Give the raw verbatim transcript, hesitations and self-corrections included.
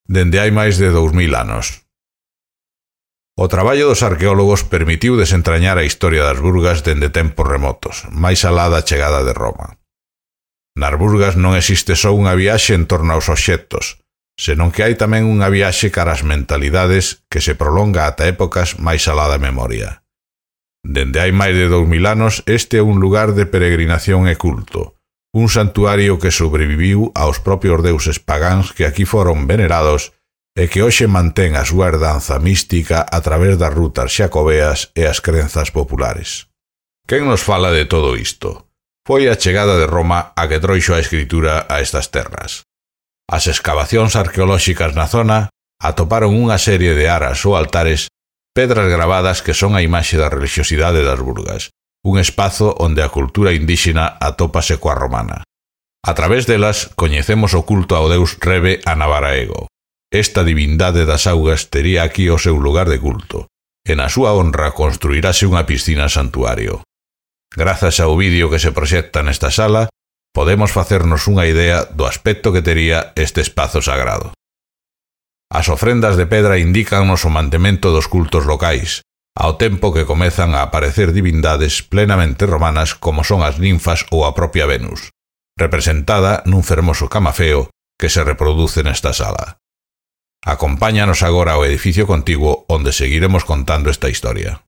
dende hai máis de dous mil anos. O traballo dos arqueólogos permitiu desentrañar a historia das Burgas dende tempos remotos, máis alá da chegada de Roma. Nas Burgas non existe só unha viaxe en torno aos obxectos, senón que hai tamén unha viaxe cara ás mentalidades que se prolonga ata épocas máis alá da memoria. Dende hai máis de dous mil anos, este é un lugar de peregrinación e culto, un santuario que sobreviviu aos propios deuses pagáns que aquí foron venerados e que hoxe mantén a súa herdanza mística a través das rutas xacobeas e as crenzas populares. Quen nos fala de todo isto? Foi a chegada de Roma a que trouxo a escritura a estas terras. As escavacións arqueolóxicas na zona atoparon unha serie de aras ou altares, pedras gravadas que son a imaxe da religiosidade das Burgas, un espazo onde a cultura indíxena atópase coa romana. A través delas coñecemos o culto ao deus Rebe a Navaraego. Esta divindade das augas tería aquí o seu lugar de culto, e na súa honra construirase unha piscina santuario. Grazas ao vídeo que se proxecta nesta sala, podemos facernos unha idea do aspecto que tería este espazo sagrado. As ofrendas de pedra indícannos o mantemento dos cultos locais, ao tempo que comezan a aparecer divindades plenamente romanas como son as ninfas ou a propia Venus, representada nun fermoso camafeo que se reproduce nesta sala. Acompáñanos agora ao edificio contiguo onde seguiremos contando esta historia.